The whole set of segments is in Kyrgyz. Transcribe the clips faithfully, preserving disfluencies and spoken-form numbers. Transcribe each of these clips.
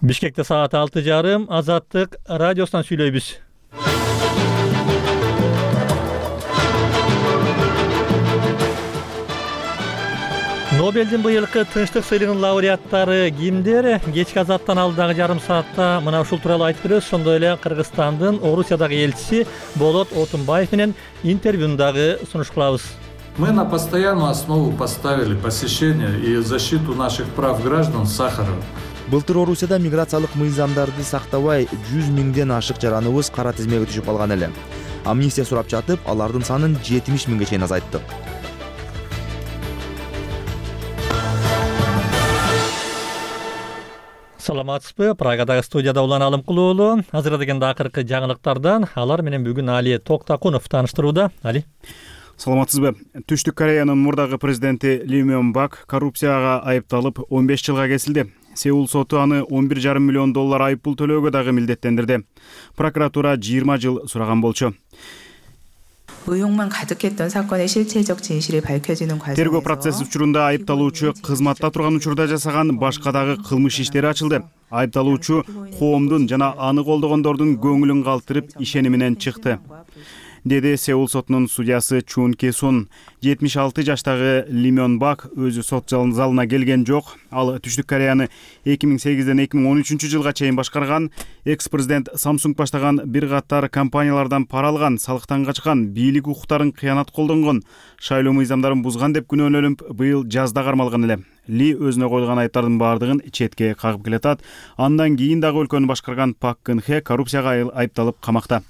Бишкекте саат алты жарым, Азаттык радиосунан сүйлөйбүз. Нобелдин быйылкы тынчтык сыйлыгынын лауреаттары кимдер? Кечки Азаттан алдагы жарым саатта мына ушул тууралуу айтып беребиз. Ошондой эле Кыргызстандын Орусиядагы элчиси Болот Отунбаев менен интервьюну дагы сунуш кылабыз. Мы на постоянную основу поставили посещение и защиту наших прав граждан Сахарова. Былтыр Орусияда миграциялык мыйзамдарды сактабай жүз миңден ашык жараныбыз кара тизмеге түшүп калган эле. Амнистия сурап жатып, алардын санын жетимиш миңге чейин азайттык. Саламатсызбы? Прагадагы студияда Улан Алымкулуу уулу. Азырдагы акыркы жаңылыктардан алар менен бүгүн Али Токтакунов тааныштырууда. Али. Саламатсызбы? Түштүк Кореянын мурдагы президенти Ли Мён Бак коррупцияга айыпталып он беш жылга кесилди. Сеул соту аны он бир жарым миллион доллар айыппул төлөөгө дагы милдеттендирди. Прокуратура жыйырма жыл сураган болчу. 의혹만 가득했던 사건의 실체적 진실이 밝혀지는 과정에서 Тергөө процесс учурунда айыпталуучу кызматта турган учурда жасаган башка дагы кылмыш иштери ачылды. Айыпталуучу коомдун жана аны колдогондордун көңүлүн калтырып ишени менен чыкты, деди Сеул сотунун судьясы Чун Кесун. жетимиш алты жаштагы Ли Мён Бак өзү сот залына келген жок. Ал Түштүк Кореяны эки миң сегизден эки миң он үчүнчү жылга чейин башкарган, экс-президент Самсунг баштаган бир катар компаниялардан пара алган, салыктан качкан, бийлик укуктарын кыянат колдонгон, шайлоо мыйзамдарын бузган деп күнөөлөнүп, быйыл жазда кармалган эле. Ли өзүнө коюлган айыптардын баардыгын четке кагып келатат. Андан кийин дагы өлкөнү башкарган Пак Кын Хе коррупцияга айыпталып камакта.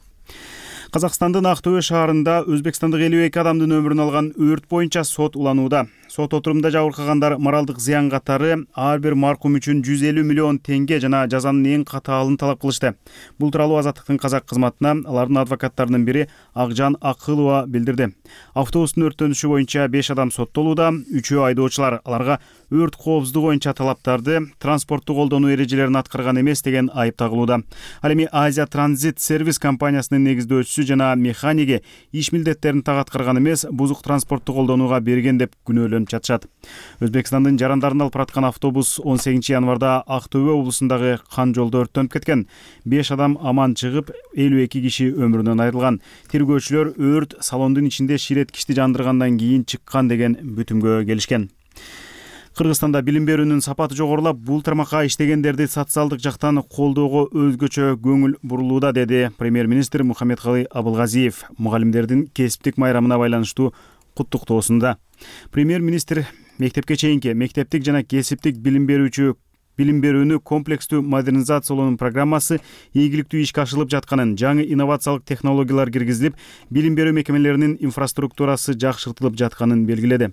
Казакстандын Актөбө шаарында өзбекстандык элүү эки адамдын өмүрүн алган өрт боюнча сот уланууда. Сот отурумда жабыркагандар моралдык зыян катары ар бир маркум үчүн жүз элүү миллион теңге жана жазанын эң катаалын талап кылышты. Бул тууралуу Азаттыктын казак кызматына алардын адвокаттарынын бири Акжан Акылова билдирди. Автобустун өрттөнүшү боюнча беш адам соттолууда, үчөө айдоочулар. Аларга өрт коопсуздугу боюнча талаптарды, транспортту колдонуу эрежелерин аткарган эмес деген айып тагылууда. Ал эми Азия Транзит сервис компаниясынын негиздөөчүсү жана механиги иш милдеттерин так аткарган эмес, бузук транспортту колдонууга берген деп күнөөлөнүп жатышат. Өзбекстандын жарандарын алып бараткан автобус он сегизинчи январда Актөбө облусундагы Кан жолдо өрттөнүп кеткен. беш адам аман чыгып, элүү эки киши өмүрүнөн айрылган. Тергөөчүлөр өрт салондун ичинде ширеткичти жандыргандан кийин чыккан деген бүтүмгө келишкен. Кыргызстанда билим берүүнүн сапаты жогорулап, бул тармакка иштегендерди социалдык жактан колдоого өзгөчө көңүл бурулууда, деди премьер-министр Мухаммедкалый Абылгазиев мугалимдердин кесиптик майрамына байланыштуу куттуктоосунда. Премьер-министр мектепке чейинки, мектептик жана кесиптик билим берүүчү билим берүүнү комплекстүү модернизациялоонун программасы ийгиликтүү ишке ашырылып жатканын, жаңы инновациялык технологиялар киргизилип, билим берүү мекемелеринин инфраструктурасы жакшыртылып жатканын белгиледи.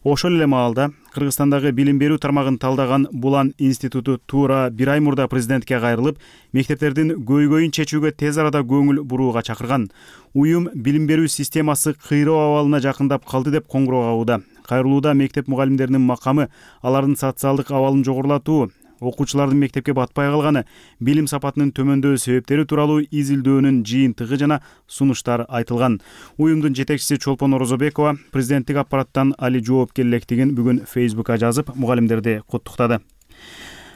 Ошол эле маалда Кыргызстандагы билим берүү тармагын талдаган Булан институту туура бир ай мурда президентке кайрылып, мектептердин көйгөйүн чечүүгө тез арада көңүл бурууга чакырган. Уюм билим берүү системасы кыйроо абалына жакындап калды деп коңгуроо кагууда. Кайрылууда мектеп мугалимдеринин макамы, алардын социалдык абалын жогорулатуу, окуучулардын мектепке батпай калганы, билим сапатынын төмөндөө себептери тууралуу изилдөөнүн жыйынтыгы жана сунуштар айтылган. Уюмдун жетекчиси Чолпон Орозобекова президенттик аппараттан али жоопкерликтигин бүгүн Фейсбукка жазып, мугалимдерди куттуктады.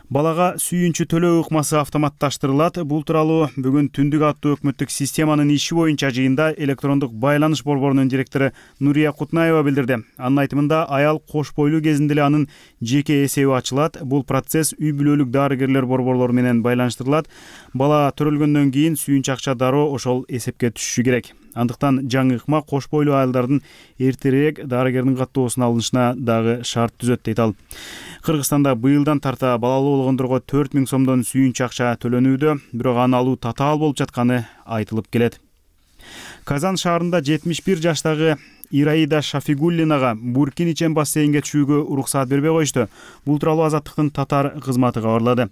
Балага сүйүнчү төлөө ыкмасы автоматташтырылат. Бул тууралуу бүгүн түндүк аттуу өкмөттүк системанын иши боюнча жыйында электрондук байланыш борборунун директору Нурия Кутнаева билдирди. Анын айтымында, аял кош бойлуу кезинде эле анын жеке эсеби ачылат. Бул процесс үй бүлөлүк дарыгерлер борборлору менен байланыштырылат. Бала төрөлгөндөн кийин сүйүнчү акча дароо ошол эсепке түшүшү керек. Андыктан жаңы ыкма кош бойлуу айылдардын эртерээк дарыгердин каттоосуна алынышына дагы шарт түзөт, дейт ал. Кыргызстанда быйылдан тарта балалуу болгондорго төрт миң сомдон сүйүнчү акча төлөнүүдө, бирок аны алуу татаал болуп жатканы айтылып келет. Казан шаарында жетимиш бир жаштагы Ираида Шафигуллинага Буркин ичен бассейнге түшүүгө уруксаат бербей коюшту. Бул тууралуу Азаттыктын татар кызматы кабарлады.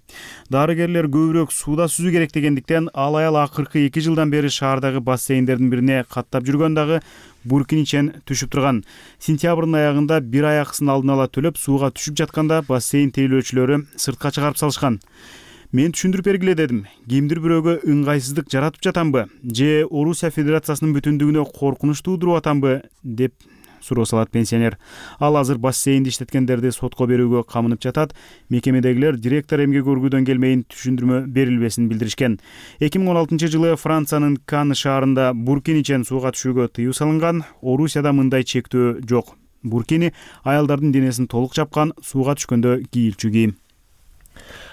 Дарыгерлер көбүрөөк сууда сүзүү керек дегендиктен ал аял акыркы эки жылдан бери шаардагы бассейндердин бирине каттап жүргөн дагы Буркин ичен түшүп турган. Сентябрдын аягында бир аяксын алдын ала төлөп сууга түшүп жатканда бассейн тейлөөчүлөрү сыртка чыгарып салышкан. Мен түшүндүрүп бергиле дедим. Кимдир бирөөгө ыңгайсыздык жаратып жатамбы? Же Орусия Федерациясынын бүтүндүгүнө коркунуч туудуруп атамбы деп суроо салат пенсионер. Ал азыр бассейнди иштеткендерди сотко берүүгө камынып жатат. Мекемедегилер директор эмгек өргүүдөн келмейин түшүндүрмө берилбесин билдиришкен. эки миң он алтынчы жылы Франциянын Кан шаарында буркин ичен сууга түшүүгө тыюу салынган. Орусияда мындай чектөө жок. Буркини аялдардын денесин толук жапкан, сууга түшкөндө кийилчү кийим.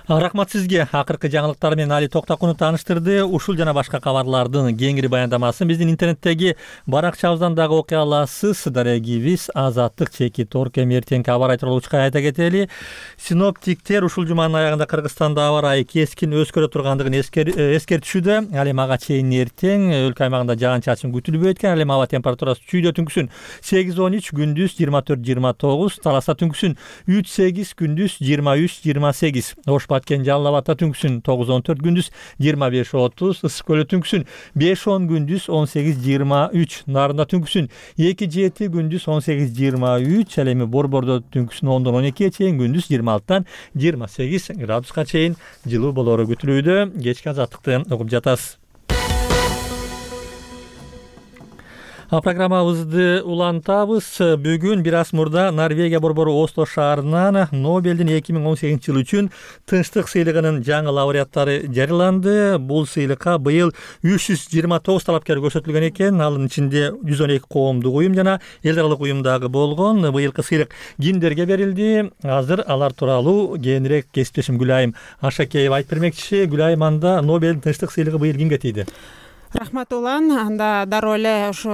Рахмат сизге. Акыркы жаңылыктар менен Али Токтакунов тааныштырды. Ушул жана башка кабарлардын кеңири баяндамасын биздин интернеттеги баракчабыздан дагы окуй аласыз. Дарегибиз Азаттык чеки торг эми эртеңки аба ырайы тууралуу учка айта кетели. Синоптиктер ушул жуманын аягында Кыргызстанда аба ырайы кескин өзгөрө тургандыгын эскертишүүдө. Ал эми ага чейин эртең өлкө аймагында жаан-чачын күтүлбөйт экен. Ал эми аба температурасы чүйдө түнкүсүн сегиз он үч, күндүз жыйырма төрт жыйырма тогуз, Таласта түнкүсүн үч сегиз, күндүз жыйырма үч жыйырма сегиз. Баткен Жалал абадта түнкүсүн тогуз он төрт, күндүз жыйырма беш отуз, Ысык көлдө түнкүсүн беш он, күндүз он сегиз жыйырма үч, Нарында түнкүсүн эки жети, күндүз он сегиз жыйырма үч, ал эми Борбордо түнкүсүн ондон он экиге чейин, күндүз жыйырма алтыдан жыйырма сегиз градуска чейин жылуу болоору күтүлүүдө. Кечки азаттыкты угуп жатасыз. Программабызды улантабыз. Бүгүн бир аз мурда Норвегия борбору Осло шаарынан Нобелдин эки миң он сегизинчи жыл үчүн тынчтык сыйлыгынын жаңы лауреаттары жарыяланды. Бул сыйлыкка быйыл үч жүз жыйырма тогуз талапкер көрсөтүлгөн экен. Алын ичинде жүз он эки коомдук уюм жана эл аралык уюм дагы болгон. Быйылкы сыйлык кимдерге берилди? Азыр алар тууралуу кээинирээк кесиптешим Гүлайым Ашакеева айтып бермекчи. Гүлайым, анда Нобелдин тынчтык сыйлыгы быйыл кимге тийди? Рахмат улан. Анда дароо эле ушу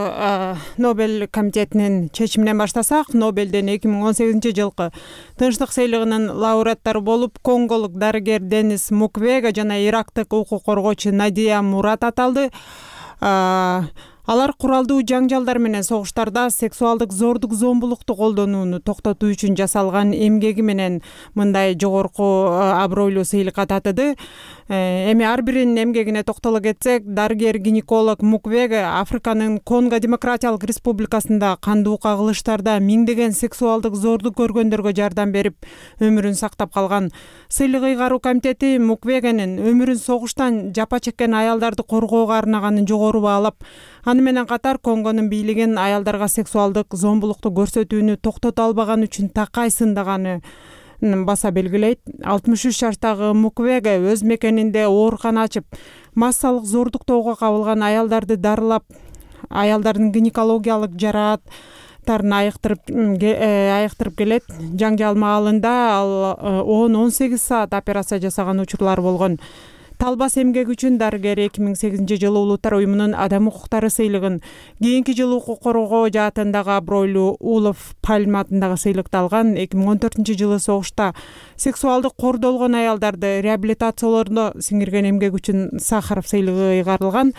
Нобель комитетинин чечиминен баштасак, Нобелдин эки миң он сегизинчи жылкы тынчтык сыйлыгынын лауреаттары болуп конголук дарыгер Денис Муквеге жана ирактык укук коргоочу Надия Мурат аталды. Алар куралдуу жаңжалдар менен согуштарда сексуалдык зордук зомбулукту колдонууну токтотуу үчүн жасалган эмгеги менен мындай жогорку абройлуу сыйлыкка татыды. Эми ар биринин эмгегине токтоло кетсек, дарыгер-гинеколог Муквеге Африканын Конго Демократиялык Республикасында кандуу кагылыштарда миңдеген сексуалдык зордук көргөндөргө жардам берип, өмүрүн сактап калган. Сыйлык ыйгаруу комитети Муквегенин өмүрүн согуштан жапа чеккен аялдарды коргоого арнаганын жогору баалап, аны менен катар Конгонун бийлигин аялдарга сексуалдык зомбулукту көрсөтүүнү токтото албаган үчүн такай сындаганы баса белгилейт. алтымыш үч жаштагы Муквеге өз мекенинде оорукана ачып, массалык зордуктоого кабылган аялдарды дарылап, аялдардын гинекологиялык жарааттарын айыктырып айыктырып келет. Жаңжал маалында ал он он сегиз саат операция жасаган учурлар болгон. Талбас эмгеги үчүн дарыгер эки миң сегизинчи жылы Улуттар уюмунун адам укуктары сыйлыгын, кийинки жылы укук коргоо жаатындагы абройлуу Улов Пальма атындагы сыйлыкты алган. эки миң он төртүнчү жылы согушта сексуалдык кордолгон аялдарды реабилитациялоодо сиңирген эмгеги үчүн Сахаров сыйлыгы ыйгарылган.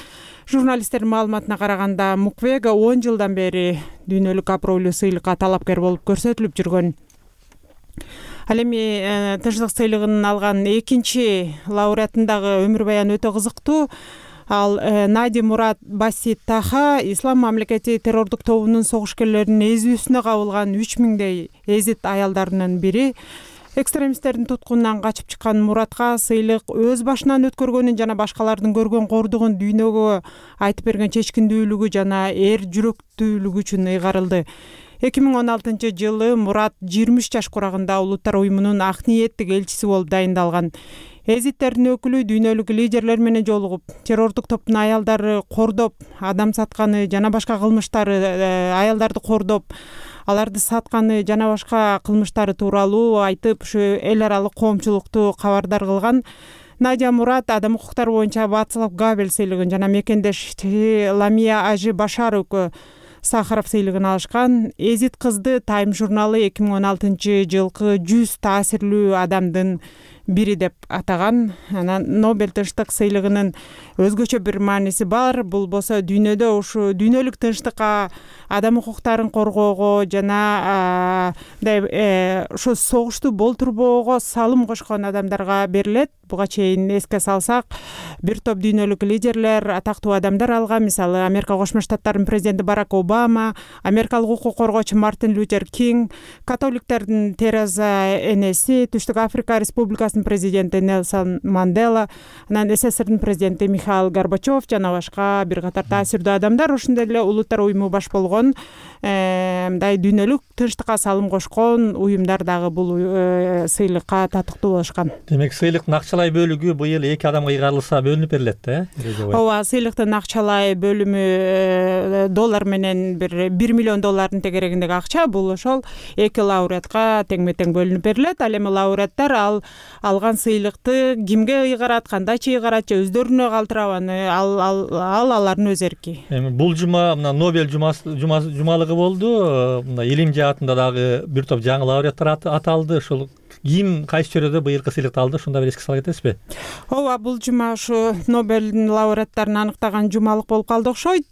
Журналисттердин маалыматына караганда, Муквеге он жылдан бери дүйнөлүк абройлуу сыйлыкка талапкер болуп көрсөтүлүп жүргөн. Ал эми тынчтык сыйлыгын алган экинчи лауреатындагы өмүр баяны өтө кызыктуу. Ал Нади Мурат Басит Таха Ислам мамлекети террордук тобунун согушкерлеринин эзүүсүнө кабылган үч миңдей эзит аялдарынын бири. Экстремисттердин туткунунан качып чыккан Муратка сыйлык өз башынан өткөргөнүн жана башкалардын көргөн кордугун дүйнөгө айтып берген чечкиндүүлүгү жана эр жүрөктүүлүгү үчүн ыйгарылды. эки миң он алтынчы жылы Мурат жыйырма үч жаш курагында Улуттар уюмунун ак ниеттик элчиси болуп дайындалган. Эзиттердин өкүлү дүйнөлүк лидерлер менен жолугуп, террордук топтун аялдары кордоп, адам сатканы жана башка кылмыштары, аялдарды кордоп, аларды сатканы жана башка кылмыштары тууралуу айтып, ушу эл аралык коомчулукту кабардар кылган. Надия Мурат адам укуктары боюнча Вацлав Гавел сыйлыгын жана мекендеши Ламия Ажи Башаровго Сахаров сыйлыгын алышкан. Эзит кызды Time журналы эки миң он алтынчы жылкы жүз таасирлүү адамдын бири деп атаган. Анан Нобель тынчтык сыйлыгынын өзгөчө бир мааниси бар. Бул болсо дүйнөдө ушу дүйнөлүк тынчтыкка, адам укуктарын коргоого жана ушу согушту болтурбоого салым кошкон адамдарга берилет. Буга чейин эске салсак, бир топ дүйнөлүк лидерлер, атактуу адамдар алган. Мисалы, Америка Кошмо Штаттарынын президенти Барак Обама, америкалык укук коргоочу Мартин Лютер Кинг, католиктердин Тереза энеси, Түштүк Африка Республикасынын СССРдин президенти Нельсон Мандела, анан СССРдин президенти Михаил Горбачев жана башка бир катар таасирдүү адамдар, ошондой эле улуттар уюму баш болгон мындай дүйнөлүк тынчтыкка салым кошкон уюмдар дагы бул сыйлыкка татыктуу болушкан. Демек сыйлыктын акчалай бөлүгү быйыл эки адамга ыйгарылса бөлүнүп берилет да? Ооба, сыйлыктын акчалай бөлүмү доллар менен бир бир миллион доллардын тегерегиндеги акча, бул ошол эки лауреатка теңме-тең бөлүнүп берилет. Ал эми лауреаттар ал алган сыйлыкты кимге ыйгарат, кандайча ыйгарат же өздөрүнө калтырабаны, ал ал алардын өз эрки. Эми бул жума мына Нобель жумалыгы болду. Мына илим жаатында дагы бир топ жаңы лауреаттар аталды. Ошол ким кайсы чөйрөдө быйылкы сыйлыкты алды, ошондо бир эске сала кетесизби? Ооба, бул жума ушу Нобелдин лауреаттарын аныктаган жумалык болуп калды окшойт.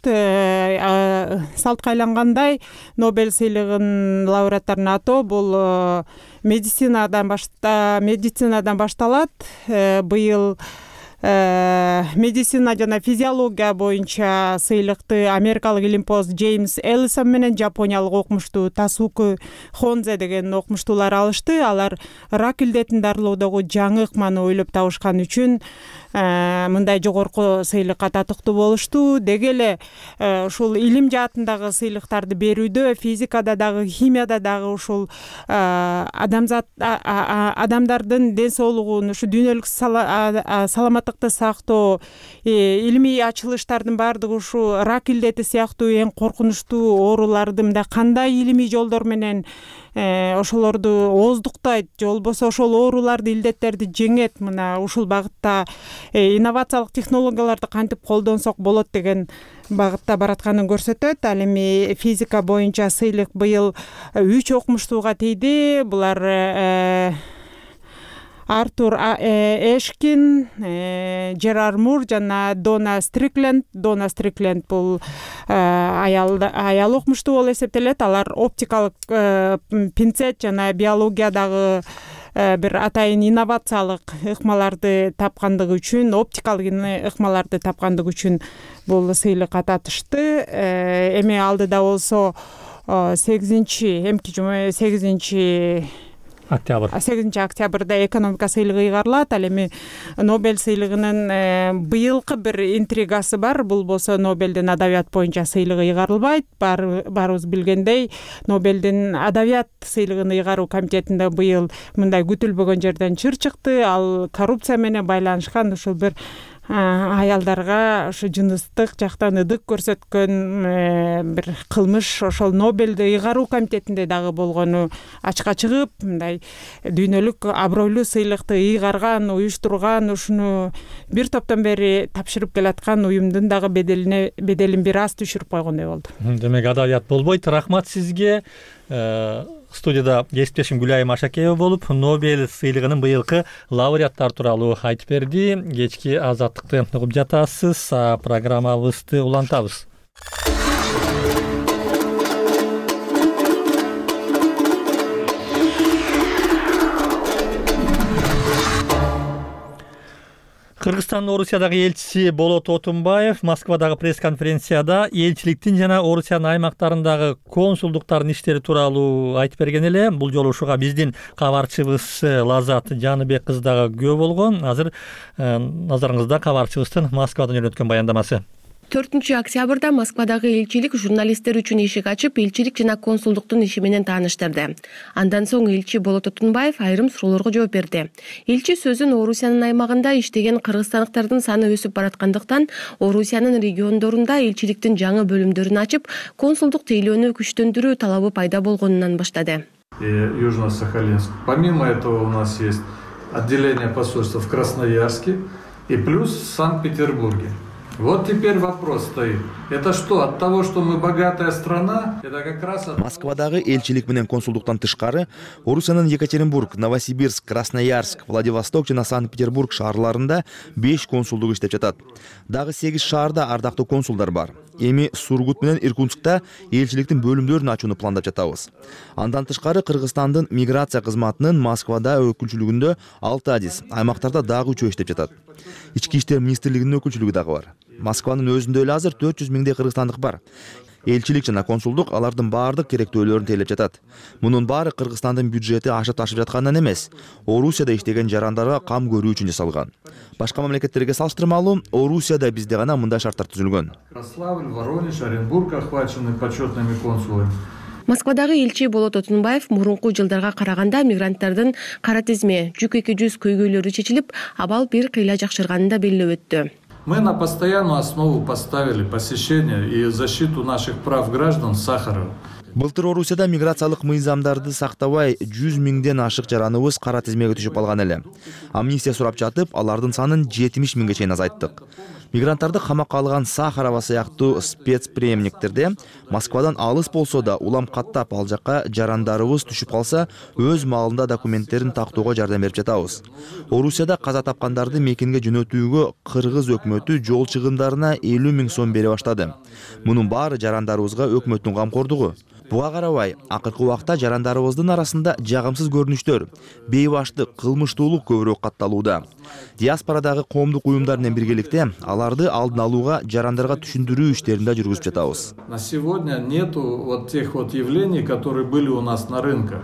Салтка айлангандай Нобель сыйлыгынын лауреаттарын атоо бул медицинадан башта медицинадан башталат. Быйыл медицина жана физиология боюнча сыйлыкты америкалык илимпоз Джеймс Эллисон менен жапониялык окумуштуу Тасуку Хонзе деген окумуштуулар алышты. Алар рак илдетин дарылоодогу жаңы ыкманы ойлоп табышкан үчүн мындай жогорку сыйлыкка татыктуу болушту. Деги эле ушул илим жаатындагы сыйлыктарды берүүдө, физикада дагы, химияда дагы ушул адамзат адамдардын ден соолугун, ушу дүйнөлүк саламаттыкты сактоо, илимий ачылыштардын баардыгы ушу рак илдети сыяктуу эң коркунучтуу ооруларды мындай кандай илимий жолдор менен ошолорду ооздуктайт же болбосо ошол ооруларды, илдеттерди жеңет, мына ушул багытта инновациялык технологияларды кантип колдонсок болот деген багытта баратканын көрсөтөт. Ал эми физика боюнча сыйлык быйыл үч окумуштууга тийди. Булар Артур Эшкин, Жерар Мур жана Дона Стрикленд. Дона Стрикленд бул аял аял окумуштуу болуп эсептелет. Алар оптикалык пинцет жана биологиядагы бир атайын инновациялык ыкмаларды тапкандыгы үчүн, оптикалык ыкмаларды тапкандыгы үчүн бул сыйлыкка татышты. Эми алдыда болсо сегизинчи эмки жума сегизинчи октябрь сегизинчи октябрда экономика сыйлыгы ыйгарылат. Ал эми Нобель сыйлыгынын быйылкы бир интригасы бар. Бул болсо Нобелдин адабият боюнча сыйлыгы ыйгарылбайт. Баарыбыз билгендей, Нобелдин адабият сыйлыгын ыйгаруу комитетинде быйыл мындай күтүлбөгөн жерден чыр чыкты. Ал коррупция менен байланышкан ушул бир аялдарга ушу жыныстык жактан ыдык көрсөткөн бир кылмыш ошол Нобелди ыйгаруу комитетинде дагы болгону ачыкка чыгып, мындай дүйнөлүк абройлуу сыйлыкты ыйгарган, уюштурган, ушуну бир топтон бери тапшырып келаткан уюмдун дагы беделине беделин бир аз түшүрүп койгондой болду. Демек адабият болбойт. Рахмат сизге. Студияда кесиптешим Гүлайым Ашакеева болуп, Нобель сыйлыгынын быйылкы лауреаттар тууралуу айтып берди. Кечки азаттыкты угуп жатасыз, программабызды улантабыз. Кыргызстандын Орусиядагы элчиси Болот Отунбаев Москвадагы пресс-конференцияда элчиликтин жана Орусиянын аймактарындагы консулдуктардын иштери тууралуу айтып берген эле. Бул жолу ушуга биздин кабарчыбыз Лазат Жаныбек кызы дагы күбө болгон. Азыр назарыңызда кабарчыбыздын Москвадан жөнөткөн баяндамасы. төртүнчү октябрда Москвадагы элчилик журналисттер үчүн эшик ачып, элчилик жана консулдуктун иши менен тааныштырды. Андан соң элчи Болот Отунбаев айрым суроолорго жооп берди. Элчи сөзүн Орусиянын аймагында иштеген кыргызстандыктардын саны өсүп бараткандыктан, Орусиянын региондорунда элчиликтин жаңы бөлүмдөрүн ачып, консулдук тейлөөнү күчтөндүрүү талабы пайда болгонунан баштады. Южно-Сахалинск. Помимо этого у нас есть отделение посольства в Красноярске и плюс в Санкт-Петербурге. Вот теперь вопрос стоит. Это что, от того, что мы богатая страна? Это как раз от... Москвадагы элчилик менен консулдуктан тышкары Орусиянын Екатеринбург, Новосибирск, Красноярск, Владивосток жана Санкт-Петербург шаарларында беш консулдук иштеп жатат. Дагы сегиз шаарда ардактуу консулдар бар. Эми Сургут менен Иркутскта элчиликтин бөлүмдөрүн ачууну пландап жатабыз. Андан тышкары Кыргызстандын миграция кызматынын Москвада өкүлчүлүгүндө алты адис, аймактарда дагы үчөө иштеп жатат. Ички иштер министрлигинин өкүлчүлүгү дагы бар. Москванын өзүндө эле азыр төрт жүз миңдей кыргызстандык бар. Элчилик жана консулдук алардын баардык керектөөлөрүн тейлеп жатат. Мунун баары Кыргызстандын бюджети ашып ташып жатканынан эмес, Орусияда иштеген жарандарга кам көрүү үчүн жасалган. Башка мамлекеттерге салыштырмалуу, Орусияда бизде гана мындай шарттар түзүлгөн. Ярославль, Воронеж, Оренбург охвачены почетными консулами. Москвадагы элчи Болот Отунбаев мурунку жылдарга караганда мигранттардын кара тизме, жүк эки жүз көйгөйлөрү чечилип, абал бир кыйла жакшырганын да белгилеп өттү. Мы на постоянную основу поставили посещение и защиту наших прав граждан Сахарова. Былтыр Орусияда миграциялык мыйзамдарды сактабай жүз миңден ашык жараныбыз кара тизмеге түшүп алган эле. Амнистия сурап жатып, алардын санын жетимиш миңге чейин азайттык. Мигранттарды камакка алган Сахарова сыяктуу спецприемниктерде Москвадан алыс болсо да улам каттап ал жакка жарандарыбыз түшүп калса, өз маалында документтерин тактоого жардам берип жатабыз. Орусияда каза тапкандарды мекенге жөнөтүүгө Кыргыз өкмөтү жол чыгымдарына элүү миң сом бере баштады. Мунун баары жарандарыбызга өкмөттүн камкордугу. Буга карабай, акыркы убакта жарандарыбыздын арасында жагымсыз көрүнүштөр, бейбаштык, кылмыштуулук көбүрөөк катталууда. Диаспорадагы коомдук уюмдар менен биргеликте аларды алдын алууга, жарандарга түшүндүрүү иштерин да жүргүзүп жатабыз. На сегодня нету вот тех вот явлений, которые были у нас на рынках.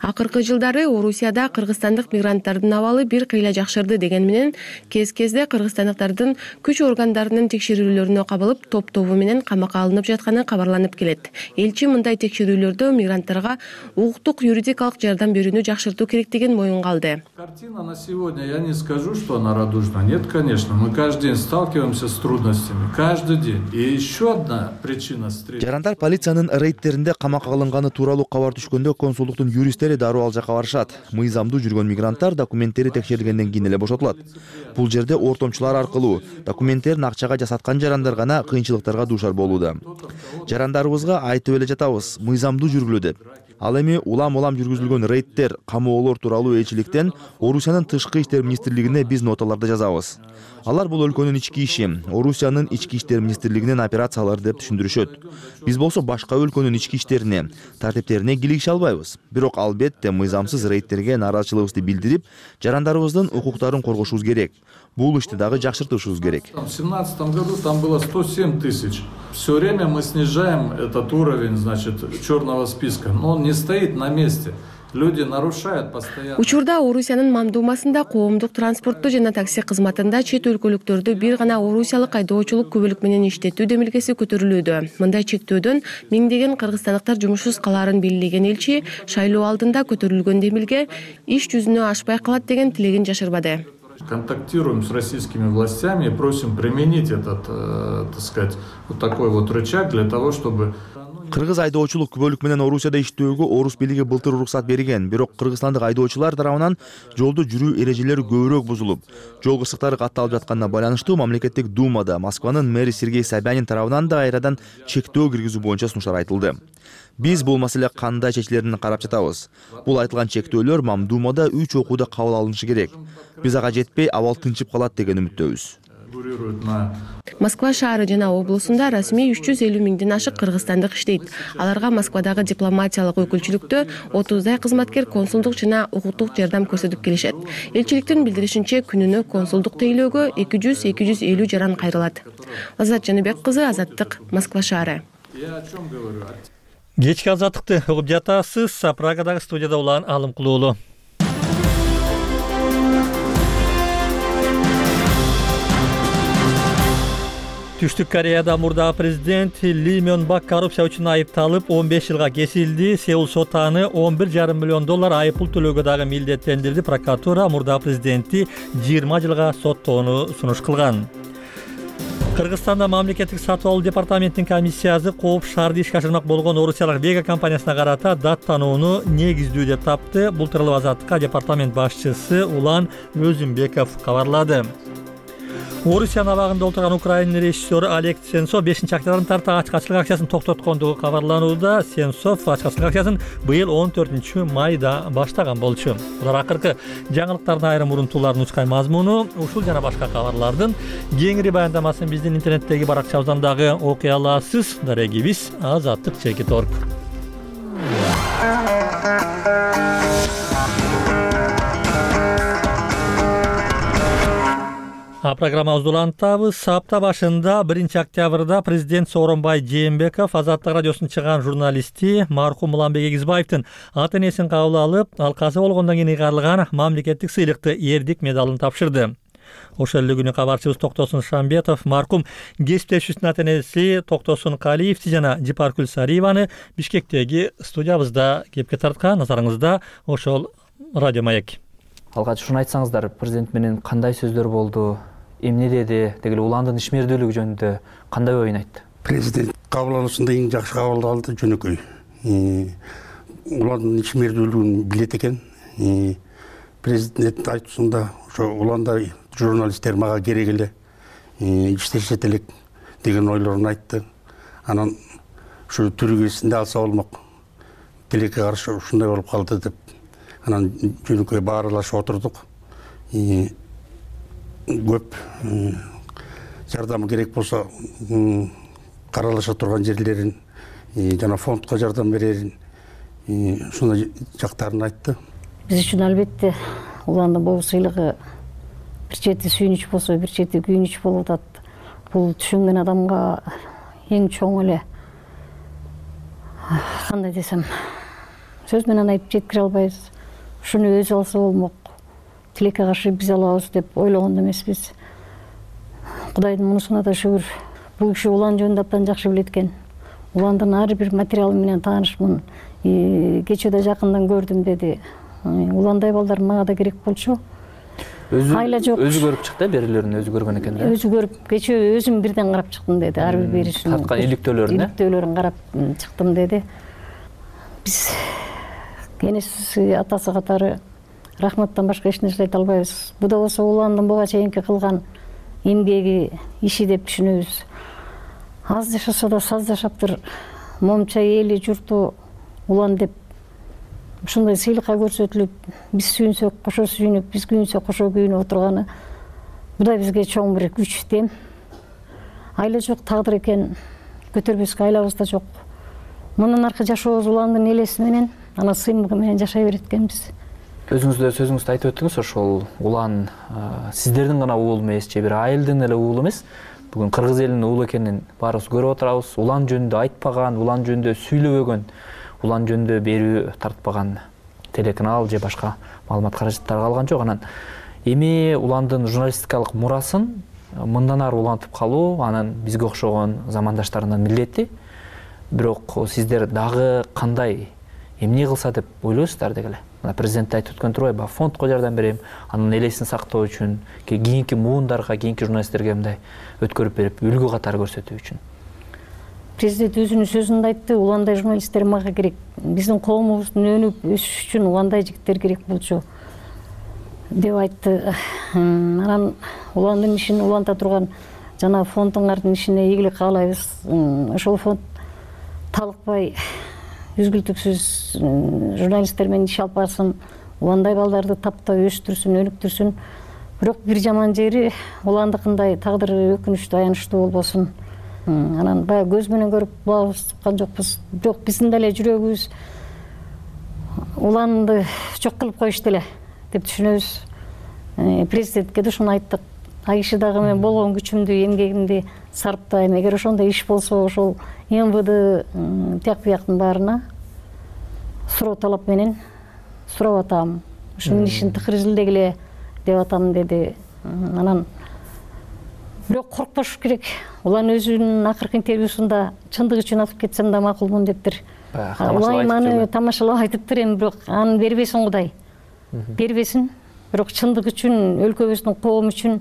Акыркы жылдары Орусияда кыргызстандык мигранттардын абалы бир кыйла жакшырды деген менен кез-кезде кыргызстандыктардын күч органдарынын текшерүүлөрүнө кабылып, топ-тобу менен камакка алынып жатканы кабарланып келет. Элчи мындай текшерүүлөрдө мигранттарга укуктук юридикалык жардам берүүнү жакшыртуу керектигин моюнга алды. Картина на сегодня, я не скажу, что она радужна. Нет, конечно, мы каждый день сталкиваемся с трудностями. Каждый день. И еще одна причина встречи. Жарандар полициянын рейдтеринде камакка алынганы тууралуу кабар түшкөндө консулдуктун юрист дароо ал жака барышат. Мыйзамдуу жүргөн мигранттар документтери текшерилгенден кийин эле бошотулат. Бул жерде ортомчулар аркылуу документтерин акчага жасаткан жарандар гана кыйынчылыктарга дуушар болууда. Жарандарыбызга айтып эле жатабыз, мыйзамдуу жүргүлө деп. Ал эми улам-улам жүргүзүлгөн рейдтер, камоолор тууралуу элчиликтен Орусиянын тышкы иштер министрлигине биз ноталарды жазабыз. Алар бул өлкөнүн ички иши, Орусиянын ички иштер министрлигинин операциялары деп түшүндүрүшөт. Биз болсо башка өлкөнүн ички иштерине, тартиптерине кийлигише албайбыз. Бирок албетте мыйзамсыз рейдтерге нааразычылыгыбызды билдирип, жарандарыбыздын укуктарын коргошубуз керек. Бул ишти дагы жакшыртышыбыз керек. В семнадцатом году там было сто семь тысяч. Все время мы снижаем этот уровень, значит, черного списка, но он не стоит на месте. Люди нарушают постоянно. Учурда Орусиянын мамдумасында коомдук транспортту жана такси кызматында чет өлкөлүктөрдү бир гана орусиялык айдоочулук күбөлүк менен иштетүү демилгеси көтөрүлүүдө. Мындай чектөөдөн миңдеген кыргызстандыктар жумушсуз калаарын белгилеген элчи шайлоо алдында көтөрүлгөн демилге иш жүзүнө ашпай калат деген тилегин жашырбады. Контактируем с российскими властями и просим применить этот, э, так сказать, вот такой вот рычаг для того, чтобы... Кыргыз айдоочулук күбөлүк менен Орусияда иштөөгө Орус бийлиги былтыр уруксат берген, бирок кыргызстандык айдоочулар тарабынан жолдо жүрүү эрежелери көбүрөөк бузулуп, жол кырсыктары катталып жатканына байланыштуу мамлекеттик думада Москванын мэри Сергей Собянин тарабынан да кайрадан чектөө киргизүү боюнча сунуштар айтылды. Биз бул маселе кандай чечилерин карап жатабыз. Бул айтылган чектөөлөр мамдумада үч окууда кабыл алынышы керек. Биз ага жетпей, абал тынчып калат деген үмүттөбүз. Москва шаары жана облусунда расмий үч жүз элүү миңден ашык кыргызстандык иштейт. Аларга Москвадагы дипломатиялык өкүлчүлүктө отуздай кызматкер консулдук жана укуктук жардам көрсөтүп келишет. Элчиликтин билдиришинче, күнүнө консулдук тейлөөгө эки жүз эки жүз элүү жаран кайрылат. Азат Жаныбек кызы, Азаттык, Москва шаары. Кечки азаттыкты угуп жатасыз. Прагадагы студияда улан Алым Кулуулу. Түштүк Кореяда мурдагы президент Ли Мён Бак коррупция үчүн айыпталып он беш жылга кесилди. Сеул соту аны он бир жарым миллион доллар айыппул төлөөгө дагы милдеттендирди. Прокуратура мурдагы президентти жыйырма жылга соттоону сунуш кылган. Кыргызстанда мамлекеттик сатып алуу департаментинин комиссиясы кооп шаарды ишке ашырмак болгон орусиялык Вега компаниясына карата дат танууну негиздүү деп тапты. Бул тууралуу Азаттыкка департамент башчысы Улан Өзүмбеков кабарлады. Орусиянын абагында отурган Украина режиссеру Олег Сенцов бешинчи октябрдан тарта ачкачылык акциясын токтоткондугу кабарланууда. Сенцов ачкачылык акциясын быйыл он төртүнчү майда баштаган болчу. Булар акыркы жаңылыктардын айрым урунтууларын учкан мазмуну. Ушул жана башка кабарлардын кеңири баяндамасын биздин интернеттеги баракчабыздан дагы окуй аласыз. Дарегибиз Азаттык чекит точка орг. А программабызды улантабыз. Апта башында биринчи октябрда президент Сооронбай Жээнбеков Азаттык радиосунун чыган журналисти мархум Уланбек Эгизбаевдин ата энесин кабыл алып, ал каза болгондон кийин ыйгарылган мамлекеттик сыйлыкты Эрдик медалын тапшырды. Ошол эле күнү кабарчыбыз Токтосун Шамбетов мархум кесиптешүүсүнүн ата энеси Токтосун Калиевди жана Жипаркүл Сариеваны Бишкектеги студиябызда кепке тарткан. Назарыңызда ошол радио маек. Алгач ушуну айтсаңыздар, президент менен кандай сөздөр болду, эмне деди, деги уландын ишмердүүлүгү жөнүндө кандай оюн айтты? Президент кабыл алуусунда эң жакшы кабыл алды, жөнөкөй. Уландын ишмердүүлүгүн билет экен. Президент айтуусунда ошо уландай журналисттер мага керек эле, иштешет элек деген ойлорун айтты. Анан ушу түрүгөсүндө алса болмок. Тилекке каршы ушундай болуп калды деп. Анан жөнөкөй баарылашып отурдук. Көп жардам керек болсо каралыша турган жерлерин жана фондко жардам берерин ушундай жактарын айтты. Биз үчүн албетте уландын бул сыйлыгы бир чети сүйүнүч болсо, бир чети күйүнүч болуп атат. Бул түшүнгөн адамга эң чоң эле, кандай десем, сөз менен айтып жеткире албайбыз. Ушуну өзү алса болмок, тилекке каршы биз алабыз деп ойлогон эмеспиз. Кудайдын мунусуна да шүгүр. Бул киши улан жөнүндө абдан жакшы билет экен. Уландын ар бир материалы менен таанышмын. Кечөөдө жакындан көрдүм деди. Уландай балдар мага да керек болчу. Өзү өзү көрүп чыкты, берилерин өзү көргөн экен да. Өзү көрүп, кечөө өзүм бирден карап чыктым деди. Ар бир беришин. Тарткан иликтөөлөрүн, иликтөөлөрүн карап чыктым деди. Биз энеси, атасы катары рахматтан башка эч нерсе айта албайбыз. Бу да болсо уландын буга чейинки кылган эмгеги, иши деп түшүнөбүз. Аз жашаса да саз жашаптыр, момча эли журту улан деп ушундай сыйлыкка көрсөтүлүп, биз сүйүнсөк кошо сүйүнүп, биз күйүнсөк кошо күйүнүп отурганы бу да бизге чоң бир күч, дем. Айла жок тагдыр экен, көтөрбөскө айлабыз да жок. Мындан аркы жашообуз уландын элеси менен, ана сыймыгы менен жашай берет экенбиз. Өзүңүз да сөзүңүздө айтып өттүңүз, ошол улан сиздердин гана уулу эмес, же бир айылдын эле уулу эмес. Бүгүн кыргыз элинин уулу экенин баарыбыз көрүп отурабыз. Улан жөнүндө айтпаган, улан жөнүндө сүйлөбөгөн, улан жөнүндө берүү тартпаган телеканал же башка маалымат каражаттары калган жок. Анан эми уландын журналистикалык мурасын мындан ары улантып калуу анан бизге окшогон замандаштарынын милдети. Бирок сиздер дагы кандай, эмне кылса деп ойлойсуздар деги эле. Мына президент айтып өткөн турбайбы, фондко жардам берем, анын элесин сактоо үчүн, кийинки муундарга, кийинки журналисттерге мындай өткөрүп берип, үлгү катары көрсөтүү үчүн. Президент өзүнүн сөзүндө айтты, уландай журналисттер мага керек. Биздин коомубуздун өнүп өсүш үчүн уландай жигиттер керек болчу деп айтты. Анан уландын ишин уланта турган жана фондуңардын ишине ийгилик каалайбыз. Ошол фонд талыкпай, үзгүлтүксүз журналисттер менен иш алып барсын, уландай балдарды таптап өстүрсүн, өнүктүрсүн. Бирок бир жаман жери уландыкындай тагдыры өкүнүчтүү, аянычтуу болбосун. Анан баягы көз менен көрүп булабыз туккан жокпуз. Бирок биздин деле жүрөгүбүз уланды жок кылып коюшту эле деп түшүнөбүз. Президентке да ушуну айттык. Ай киши дагы мен болгон күчүмдү, эмгегимди сарптайм. Эгер ошондой иш болсо, ошол эм вэ дэ тияк бияктын баарына суроо талап менен сурап атам. Ушунун ишин тыкыр изилдегиле деп атам деди. Анан бирок коркпош керек. Улан өзүнүн акыркы интервьюсунда чындык үчүн атып кетсем да макулмун дептир. Улайым аны тамашалап айтыптыр эми, бирок аны бербесин Кудай. Бербесин. Бирок чындык үчүн, өлкөбүздүн, коом үчүн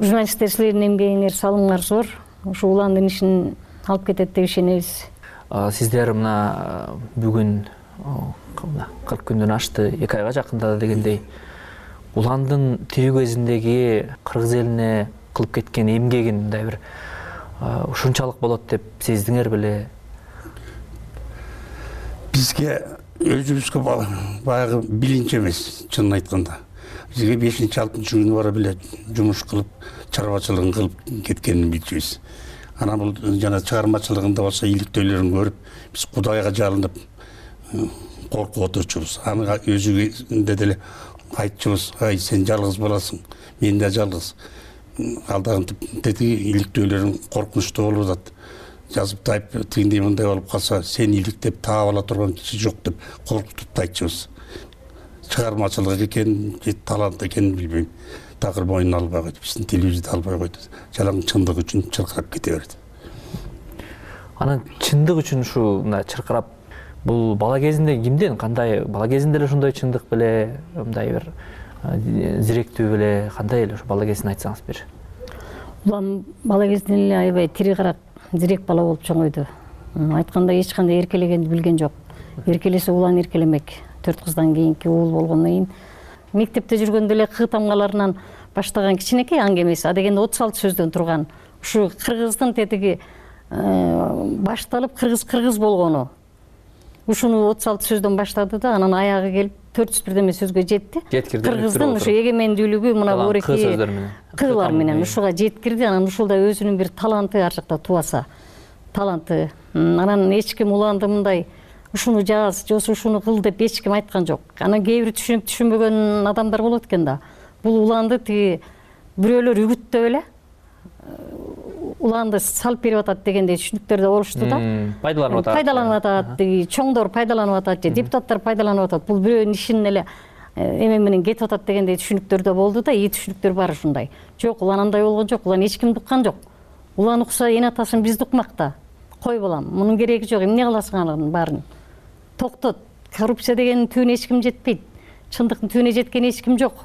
журналисттер силердин эмгегиңер, салымыңар зор. Ушу уландын ишин алып кетет деп ишенебиз. Сиздер мына бүгүн кырк күндөн ашты, эки айга жакындады дегендей. Уландын тирүү кезиндеги кыргыз элине кылып кеткен эмгегин мындай бир ушунчалык болот деп сездиңер беле? Бизге өзүбүзгө баягы билинч эмес, чынын айтканда. Бизге бешинчи алтынчы күнү бара беле жумуш кылып, чарбачылыгын кылып кеткенин билчүбүз. Анан бул жана чыгармачылыгында болсо иликтөөлөрүн көрүп, биз Кудайга жалынып коркуп отурчубуз. Аны өзүгө деле айтчубуз, ай сен жалгыз боласың, мен да жалгыз. ал дагы тетиги иликтөөлөрүң коркунучтуу болуп атат. Жазып тайып тигиндей мындай болуп калса сени иликтеп таап ала турган киши жок деп коркутуп айтчубуз. Чыгармачылык экен, же талант экенин билбейм. Такыр мойнуна албай койду. Биздин телевизияда албай койду. Жалаң чындык үчүн чыркырап кете берди. Анан чындык үчүн ушу мына чыркырап бул бала кезинде кимден кандай бала кезинде эле ушундай чындык беле, мындай бир зиректүү беле, кандай эле ушу бала кезин айтсаңыз бир. Улам бала кезинен эле аябай тири карак зирек бала болуп чоңойду. Айткандай эч кандай эркелегенди билген жок. Эркелесе улан эркелемек. Төрт кыздан кийинки уул болгондон кийин мектепте жүргөндө эле кы тамгаларынан баштаган кичинекей аңгемеси, а дегенде отуз алты сөздөн турган ушу кыргыздын тетиги башталып кыргыз кыргыз болгону. Ушуну отуз алты сөздөн баштады да, анан аягы келип төрт жүз бирдеме сөзгө жетти. Кыргыздын ушу эгемендүүлүгү мына бореки кылар менен ушуга жеткирди. Анан ушулда өзүнүн бир таланты ар жакта тубаса, таланты. Анан эч ким уланды мындай ушуну жаз, же ушуну кыл деп эч ким айткан жок. Анан кээ бир түшүнүп түшүнбөгөн адамдар болот экен да. Бул уланды тиги бирөөлөр үгүттөп эле уланды салып берип атат дегендей түшүнүктөр да болушту да. Пайдаланып атат. Пайдаланып атат, тиги чоңдор пайдаланып атат, же депутаттар пайдаланып атат. Бул бирөөнүн ишинин эле эме менен кетип атат дегендей түшүнүктөр да болду да, ий түшүнүктөр бар ушундай. Жок, улан андай болгон жок, улан эч кимди уккан жок. Улан укса эне атасын бизди укмакта. Кой балам, мунун кереги жок, эмне кыласың анын баарын? Токтот. Коррупция дегенин түбүнө эч ким жетпейт. Чындыктын түбүнө жеткен эч ким жок.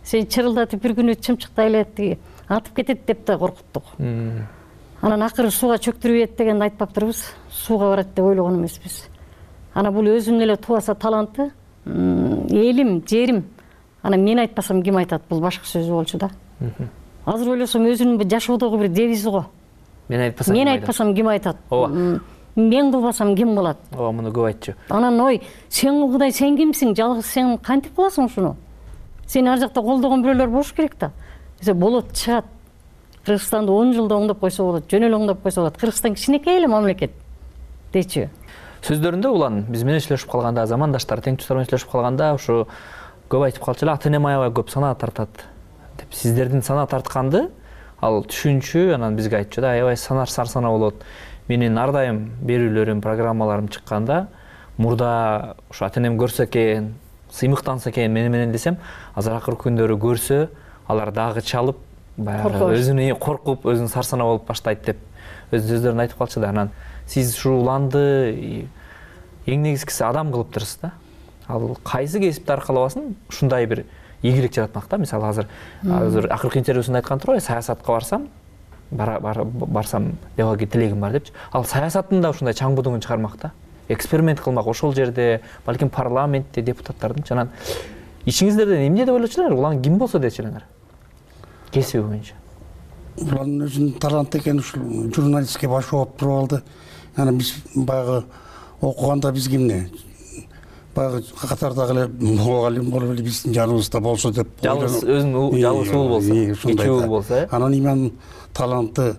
Сен чырылдатып бир күнү чымчыктай эле тиги атып кетет деп да коркуттук. Анан акыры сууга чөктүрүп дегенди айтпаптырбыз. Сууга барат деп ойлогон эмеспиз. Анан бул өзүнүн эле тубаса таланты, элим, жерим. Анан мен айтпасам ким айтат? Бул башка сөз болчу да. Азыр ойлосом өзүнүн жашоодогу бир девизи го. Мен айтпасам Мен айтпасам ким айтат? Мен кылбасам ким кылат? Ооба, муну көп айтчу. Анан ой, сен кылгыдай сен кимсиң? Жалгыз сен кантип кыласың ушуну? Сени ар жакта колдогон бирөөлөр болуш керек да. Эсе болот, чыгат. Кыргызстанды он жылда оңдоп койсо болот, жөн эле оңдоп койсо болот. Кыргызстан кичинекей эле мамлекет. Дечи. Сөздөрүндө улан биз менен иштешип калганда, замандаштар, теңдештер менен иштешип калганда ушу көп айтып калчу эле, ата-эне аябай көп санаа тартат деп. Сиздердин санаа тартканды ал түшүнчү, анан бизге айтчу да, аябай санар сарсана болот. Менин ар дайым берүүлөрүм, программаларым чыкканда мурда ушу ата-энем көрсө экен, сыймыктанса экен мени менен десем, азыр акыркы күндөрү көрсө, алар дагы чалып, баягы өзүнө коркуп, өзүн сарсана болуп баштайт деп өз сөздөрүн айтып калчу да. Анан сиз ушу уланды эң негизгиси адам кылыптырсыз да. Ал кайсы кесипти аркалабасын ушундай бир ийгилик жаратмак да. Мисалы азыр азыр акыркы интервьюсунда айткан турбайбы, саясатка барсам, барсам дебаги тилегим бар депчи. Ал саясаттын да ушундай чаң будуңун чыгармак да. Эксперимент кылмак ошол жерде, балким парламентте депутаттардын. Анан ичиңиздерден эмне деп ойлочулар? Улан ким болсо дечилеңер? Кесиби боюнча. Улан өзүнүн таланты экен, ушул журналистке баш жооп туруп алды. Анан биз баягы окуганда биз кимне? Баягы катардагы эле мугалим болуп эле биздин жаныбызда болсо деп. Жалгыз өзүнүн жалгыз уул болсо, эки уул болсо, анан иман таланты,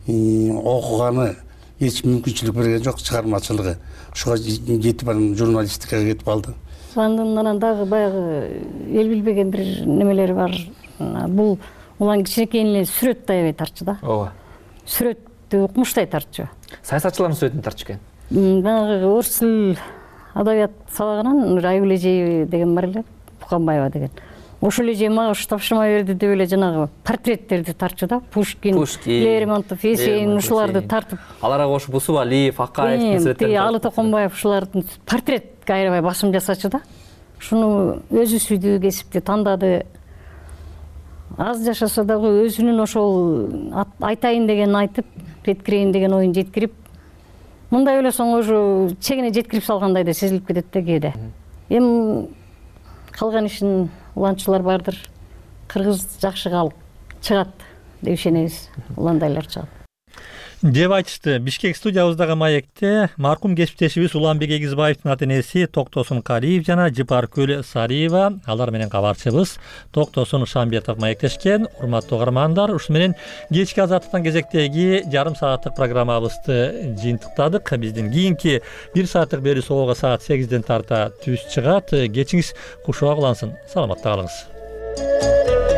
окуганы эч мүмкүнчүлүк берген жок, чыгармачылыгы. Ушуга жетип анан журналистикага кетип алды. Уландын анан дагы баягы эл билбеген бир немелери бар. Бул улан кичинекейин эле сүрөттү аябай тартчу да. Ооба. Сүрөттү укмуштай тартчу. Саясатчылардын сүрөтүн тартчу экен. Баягы орус тил адабият сабагынан Айгүл эжеева деген бар эле, Буканбаева деген. Ошол эже мага ушу тапшырма берди деп эле жанагы портреттерди тартчу да. Пушкин, Лермонтов, Есенин ушуларды тартып. Аларга кошуп Усуп Алиев, Акаевдин сүрөттөрүн. Алы Токонбаев ушулардын портретке аябай басым жасачу да. Ушуну өзү сүйдүү кесипти тандады. Аз жашаса дагы өзүнүн ошол айтайын дегенин айтып, жеткирейин деген оюн жеткирип, мындай ойлосоң уже чегине жеткирип салгандай да сезилип кетет да кээде. Эми калган ишин уланчылар бардыр. Кыргыз жакшы калып чыгат деп ишенебиз. Уландайлар чыгат деп айтышты. Бишкек студиябыздагы маекте маркум кесиптешибиз Уланбек Эгизбаевдин ата-энеси Токтосун Калиев жана Жыпаркүл Сариева, алар менен кабарчыбыз Токтосун Шамбетов маектешкен. Урматтуу угармандар, ушу менен кечки азаттыктан кезектеги жарым сааттык программабызды жыйынтыктадык. Биздин кийинки бир сааттык берүү соболго саат сегизден тарта түз чыгат. Кечиңиз кушуак улансын. Саламатта калыңыз.